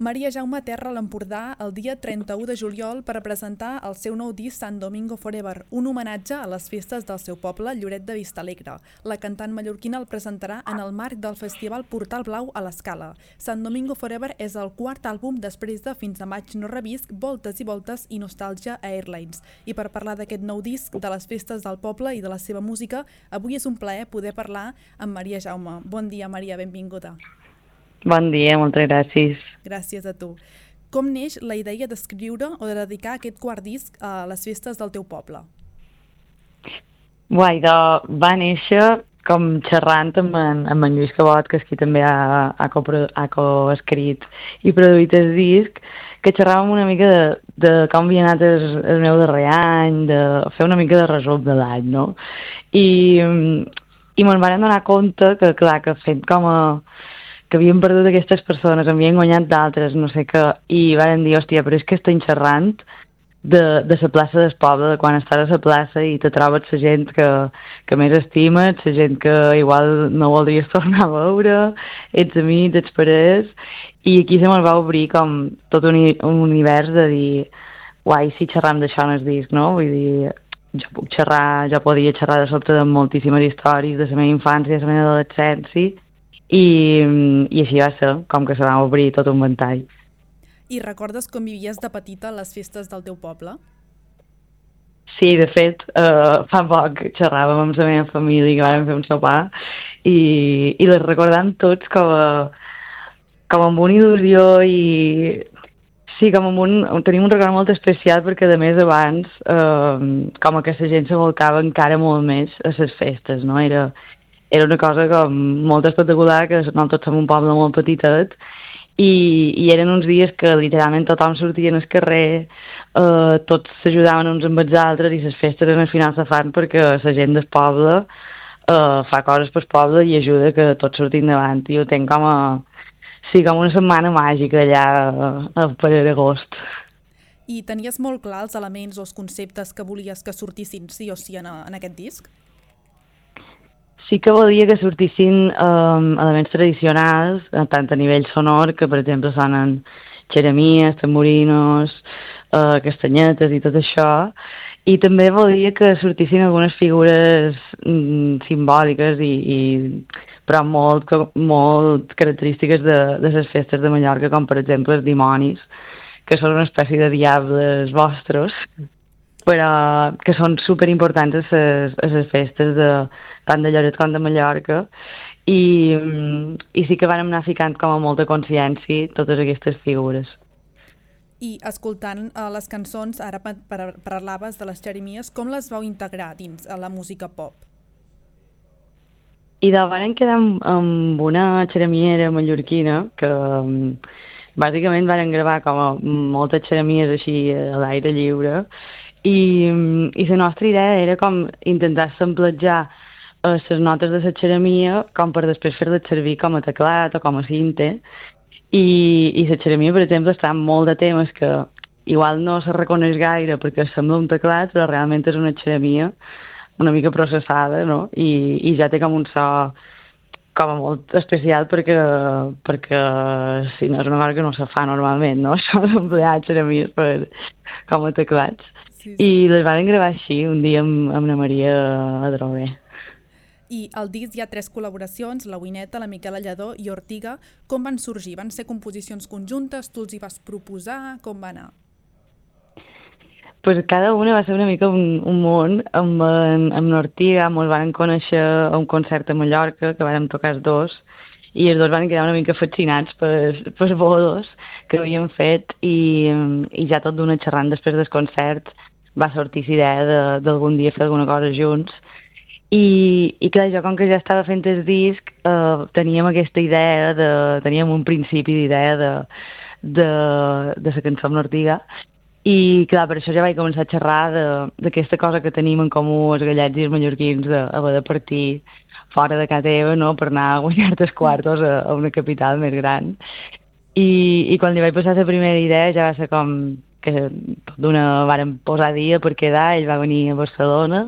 Maria Jaume aterra a l'Empordà el dia 31 de juliol per presentar el seu nou disc Sant Domingo Forever, un homenatge a les festes del seu poble, Lloret de Vistalegre. La cantant mallorquina el presentarà en el marc del festival Portal Blau a l'Escala. Sant Domingo Forever és el quart àlbum després de Fins a maig no revisc, Voltes i voltes i Nostàlgia a Airlines. I per parlar d'aquest nou disc, de les festes del poble i de la seva música, avui és un plaer poder parlar amb Maria Jaume. Bon dia, Maria, benvinguda. Bon dia, moltes gràcies. Gràcies a tu. Com neix la idea d'escriure o de dedicar aquest quart disc a les festes del teu poble? Va néixer com xerrant amb en Lluís Cabot, que és qui també ha coescrit i produït el disc, que xerràvem una mica de com havia anat el meu darrer any, de fer una mica de resum de l'any, no? I me'n vam donar compte que, clar, que fent com que havien perdut aquestes persones, havien guanyat d'altres, no sé què, i van dir, hòstia, però és que estem xerrant de la plaça del poble, de quan estàs a la plaça i te trobes la gent que més estimes, la gent que igual no voldries tornar a veure, ets amics, ets parers, i aquí se me'l va obrir com tot un univers de dir, uai, si xerram d'això en el disc, no? Vull dir, jo podia xerrar de sobte de moltíssimes històries de la meva infància, de la meva adolescència, i així va ser, com que se va obrir tot un ventall. I recordes com vivies de petita a les festes del teu poble? Sí, de fet, fa poc xerràvem amb la meva família que vam fer un sopar i les recordam tots com amb una il·lusió i sí, tenim un record molt especial perquè, a més, abans com que la gent se volcava encara molt més a les festes, no? Era una cosa com molt espectacular, que nosaltres som un poble molt petitet, i eren uns dies que literalment tothom sortia al carrer, tots s'ajudaven uns amb els altres, i les festes al final se fan perquè la gent del poble fa coses pel poble i ajuda que tots sortim davant. I ho tenc com una setmana màgica allà per agost. I tenies molt clar els elements o els conceptes que volies que sortissin sí o sí en aquest disc? Sí que volia que sortissin elements tradicionals, tant a nivell sonor, que per exemple sonen xeremies, tamborinos, castanyetes i tot això, i també volia que sortissin algunes figures simbòliques però molt característiques de les festes de Mallorca, com per exemple els dimonis, que són una espècie de diables vostres, però que són superimportants a les festes tant de Lloret com de Mallorca, i sí que vam anar ficant com a molta consciència totes aquestes figures. I escoltant les cançons, ara parlaves de les xeremies, com les vau integrar dins a la música pop? I vam quedar amb una xeremiera mallorquina que bàsicament vam gravar com a moltes xeremies així a l'aire lliure, i la nostra idea era com intentar samplejar les notes de la xeremia com per després fer-les servir com a teclat o com a cinte, i la xeremia, per exemple, està en molt de temes que igual no se reconeix gaire perquè sembla un teclat, però realment és una xeremia una mica processada, no? I ja té com un so com a molt especial perquè si no és una cosa que no se fa normalment, no? Això d'emplear xeremies com a teclats. Sí. I les van gravar així un dia amb la Maria Adrover. I al disc hi ha 3 col·laboracions, la Wineta, la Miquela Lledó i Ortiga. Com van sorgir? Van ser composicions conjuntes? Tu els hi vas proposar? Com va anar? Pues cada una va ser una mica un món. Amb l'Ortiga ens van conèixer a un concert a Mallorca, que vam tocar els dos, i els dos van quedar una mica fascinats per bolos que havien fet, i ja tot d'una xerrant després del concert va sortir la idea d'algun dia fer alguna cosa junts. I clar, jo com que ja estava fent el disc, teníem aquesta idea, teníem un principi d'idea de la cançó amb l'Ortiga, i clar, per això ja vaig començar a xerrar d'aquesta cosa que tenim en comú els gallets i els mallorquins, d'haver de partir fora de casa teva, no?, per anar a guanyar-te els quartos a una capital més gran. I quan li vaig passar la primera idea ja va ser com que tot d'una vàrem posar dia per quedar, ell va venir a Barcelona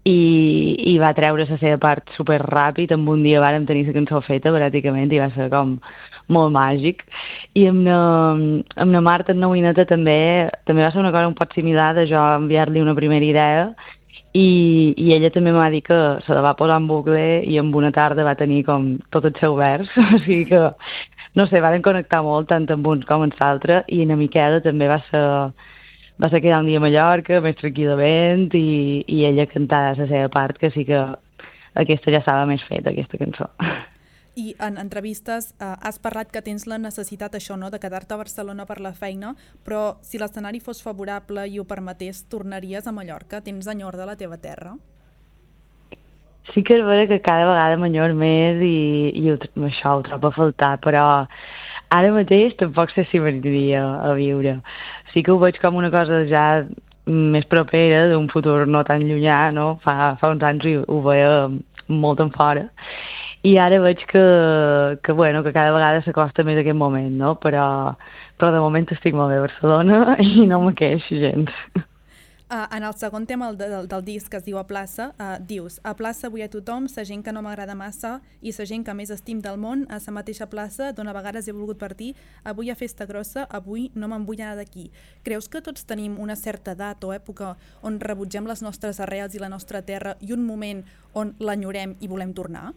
i va treure la seva part superràpid, en un dia vàrem tenir la cançó feta pràcticament, i va ser com molt màgic. I amb la Marta, en Novineta, també va ser una cosa un poc similar de jo enviar-li una primera idea i ella també m'ha dit que se la va posar en bucle i en una tarda va tenir com tot el seu vers, o sigui que, no sé, van connectar molt tant amb uns com amb l'altre i na Miquela també va ser quedar un dia a Mallorca, més tranquil·lament, i ella cantar la seva part, que sí que aquesta ja estava més feta, aquesta cançó. I en entrevistes has parlat que tens la necessitat això, no?, de quedar-te a Barcelona per la feina, però si l'escenari fos favorable i ho permetés, tornaries a Mallorca? Tens enyor de la teva terra? Sí que és vera que cada vegada m'enyor més i això ho trobo a faltar, però ara mateix tampoc sé si m'aniria a viure. Sí que ho veig com una cosa ja més propera, d'un futur no tan llunyà, no? Fa uns anys ho veia molt en fora. I ara veig bueno, que cada vegada s'acosta més aquest moment, no? Però de moment estic molt bé a Barcelona i no me queixo gens. En el segon tema del disc, que es diu A Plaça, dius: a plaça vull a tothom, sa gent que no m'agrada massa i sa gent que més estim del món, a sa mateixa plaça d'on a vegades he volgut partir, avui a festa grossa, avui no me'n vull anar d'aquí. Creus que tots tenim una certa edat o època on rebutgem les nostres arrels i la nostra terra i un moment on l'enyorem i volem tornar?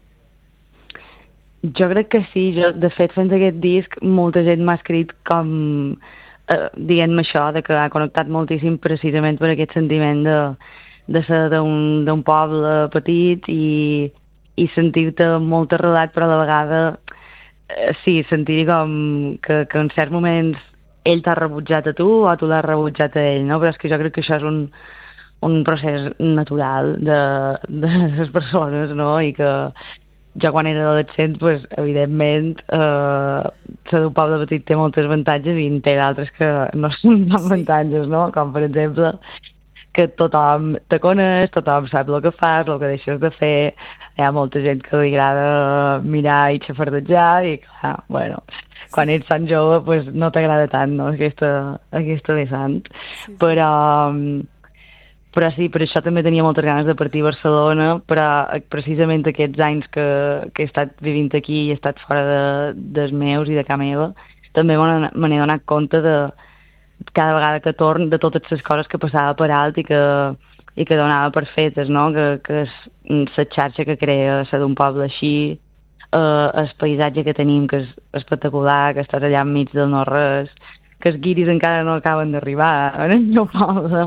Jo crec que sí. De fet, fent aquest disc, molta gent m'ha escrit com dient-me això, de que ha connectat moltíssim precisament per aquest sentiment de ser d'un poble petit i sentir-te molt arrelat, però a la vegada sí, sentir com que en certs moments ell t'ha rebutjat a tu o tu l'has rebutjat a ell, no? Però és que jo crec que això és un procés natural de les persones, no? I que jo quan era adolescent, pues, evidentment, ser d'un poble petit té molts avantatges i en té d'altres que no són avantatges, no? Com, per exemple, que tothom te coneix, tothom sap el que fas, el que deixes de fer, hi ha molta gent que li agrada mirar i xafardejar i, clar, bueno, quan ets tan jove, pues, no t'agrada tant, no?, aquesta vessant. Sí. Però sí, per això també tenia moltes ganes de partir a Barcelona, però precisament aquests anys que he estat vivint aquí i he estat fora dels meus i de casa meva, també me n'he donat compte de cada vegada que torn, de totes les coses que passava per alt i que donava per fetes, no? Que és la xarxa que crea ser d'un poble així, el paisatge que tenim, que és espectacular, que estàs allà enmig del no-res, que els guiris encara no acaben d'arribar en el meu poble.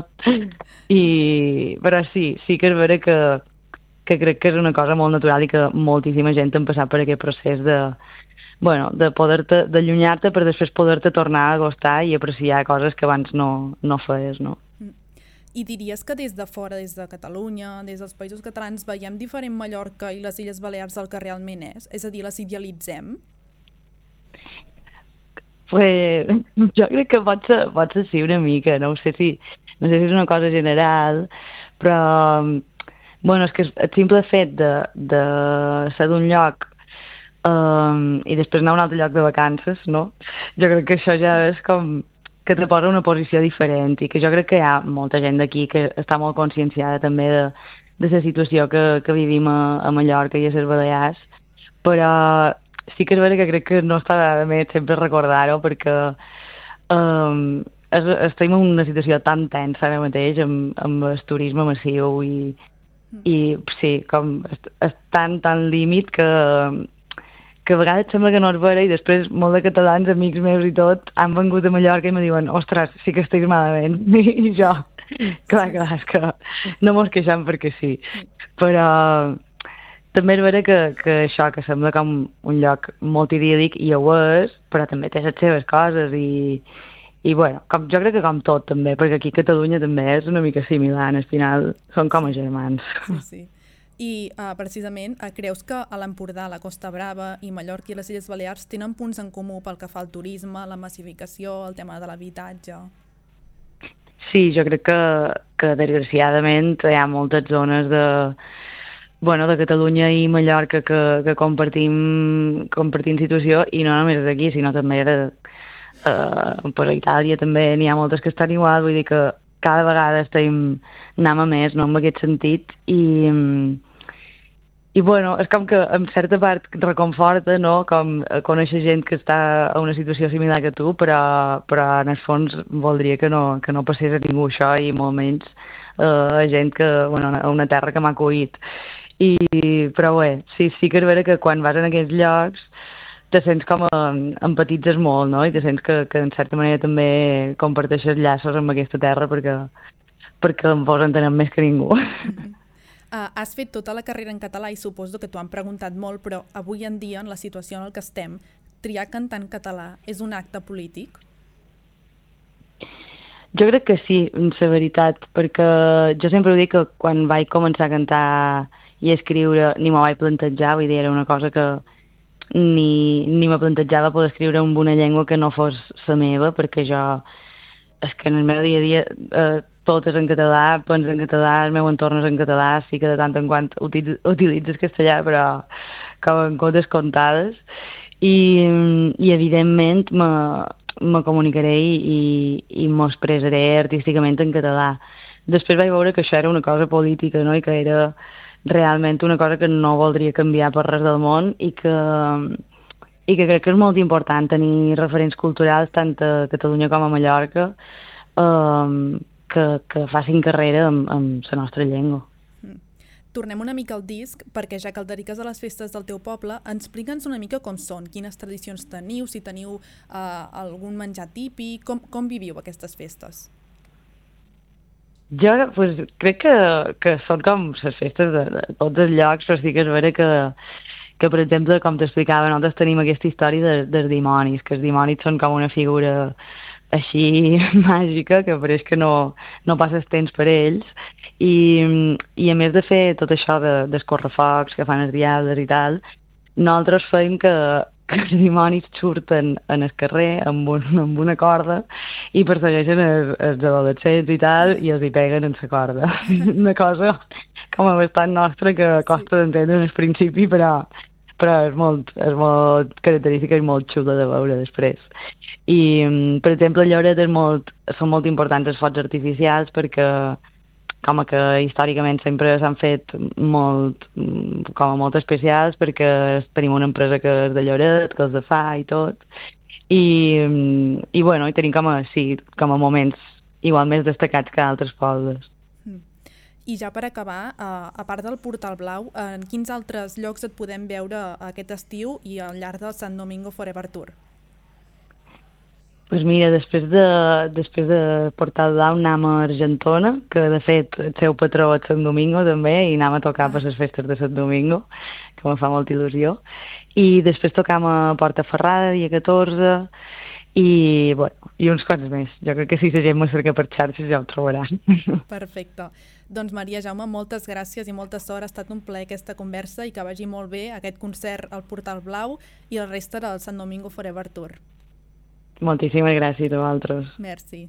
Però sí que és vera que crec que és una cosa molt natural i que moltíssima gent ha passat per aquest procés d'allunyar-te per després poder-te tornar a acostar i apreciar coses que abans no feies, no? I diries que des de fora, des de Catalunya, des dels països catalans, veiem diferent Mallorca i les Illes Balears del que realment és? És a dir, les idealitzem? Pues, jo crec que pot ser sí una mica, no sé si és una cosa general, però bueno, és que el simple fet de ser d'un lloc i després anar a un altre lloc de vacances, no? Jo crec que això ja és com que te posa una posició diferent i que jo crec que hi ha molta gent d'aquí que està molt conscienciada també de la situació que vivim a Mallorca i a les Balears, però sí que és vera que crec que no està de més sempre recordar-ho perquè estem en una situació tan tensa ara mateix amb el turisme massiu i sí, com és tan límit que a vegades sembla que no es vera i després molts de catalans, amics meus i tot, han vengut a Mallorca i me diuen ostres, sí que estic malament. I jo, clar, és que no mos queixem perquè sí. Però també és vera que això, que sembla com un lloc molt idíl·lic i ho és, però també té les seves coses i bueno, jo crec que com tot també, perquè aquí a Catalunya també és una mica similar, al final són com a germans. Sí. I precisament, creus que a l'Empordà, la Costa Brava i Mallorca i les Illes Balears tenen punts en comú pel que fa al turisme, la massificació, el tema de l'habitatge? Sí, jo crec que desgraciadament hi ha moltes zones de Catalunya i Mallorca que compartim situació i no només aquí, sinó també per Itàlia també n'hi ha moltes que estan igual, vull dir que cada vegada estem anant a més, no, en aquest sentit, i I bueno, és com que en certa part reconforta, no?, com conèixer gent que està a una situació similar que tu, però en el fons voldria que no passés a ningú això i molt menys a gent que, bueno, a una terra que m'ha acollit. Però bé, sí que és vera que quan vas en aquests llocs te sents com empatitzes molt, no?, i te sents que en certa manera també comparteixes llaços amb aquesta terra perquè en fos entenem més que ningú. Has fet tota la carrera en català i suposo que t'ho han preguntat molt, però avui en dia, en la situació en la que estem, triar cantar en català és un acte polític? Jo crec que sí, la veritat, perquè jo sempre ho dic que quan vaig començar a cantar i a escriure ni m'ho vaig plantejar, vull dir, era una cosa que ni me plantejava poder escriure en una llengua que no fos la meva, perquè jo, és que en el meu dia a dia tot és en català, penso en català, el meu entorn és en català, sí que de tant en quant utilitzes castellà, però com en comptes comptades, i evidentment me comunicaré i m'ho expressaré artísticament en català. Després vaig veure que això era una cosa política, no?, i que era realment una cosa que no voldria canviar per res del món i que crec que és molt important tenir referents culturals tant a Catalunya com a Mallorca que facin carrera amb la nostra llengua. Tornem una mica al disc, perquè ja que el dediques a les festes del teu poble, explica'ns una mica com són, quines tradicions teniu, si teniu algun menjar típic, com viviu aquestes festes? Jo pues, crec que són com les festes de tots els llocs, però sí que és vera que per exemple, com t'explicava, nosaltres tenim aquesta història dels dimonis, que els dimonis són com una figura així màgica, que pareix que no passes temps per ells, i a més de fer tot això d'escorrefocs que fan els diables i tal, nosaltres fem que els dimonis surten en el carrer amb una corda i persegueixen els adolescents i tal, i els hi peguen en la corda. Una cosa com a bastant nostra que costa d'entendre en el principi, però és molt característica i molt xula de veure després. I, per exemple, a Lloret són molt importants els focs artificials perquè com que històricament sempre s'han fet molt especials perquè tenim una empresa que és de Lloret, que els de fa i tot. I bueno, i tenim com a moments igual més destacats que altres pobles. I ja per acabar, a part del Portal Blau, en quins altres llocs et podem veure aquest estiu i al llarg del Sant Domingo Forever Tour? Doncs mira, després de Portal Blau anem a Argentona, que de fet el seu patró és Sant Domingo també, i anem a tocar per les festes de Sant Domingo, que em fa molta il·lusió. I després tocam a Portaferrada, dia 14, i uns quants més. Jo crec que si la gent m'ho cerca per xarxes ja ho trobarà. Perfecte. Doncs Maria Jaume, moltes gràcies i molta sort. Ha estat un plaer aquesta conversa i que vagi molt bé aquest concert al Portal Blau i la resta del Sant Domingo Forever Tour. Moltíssimes gràcies a vosaltres. Merci.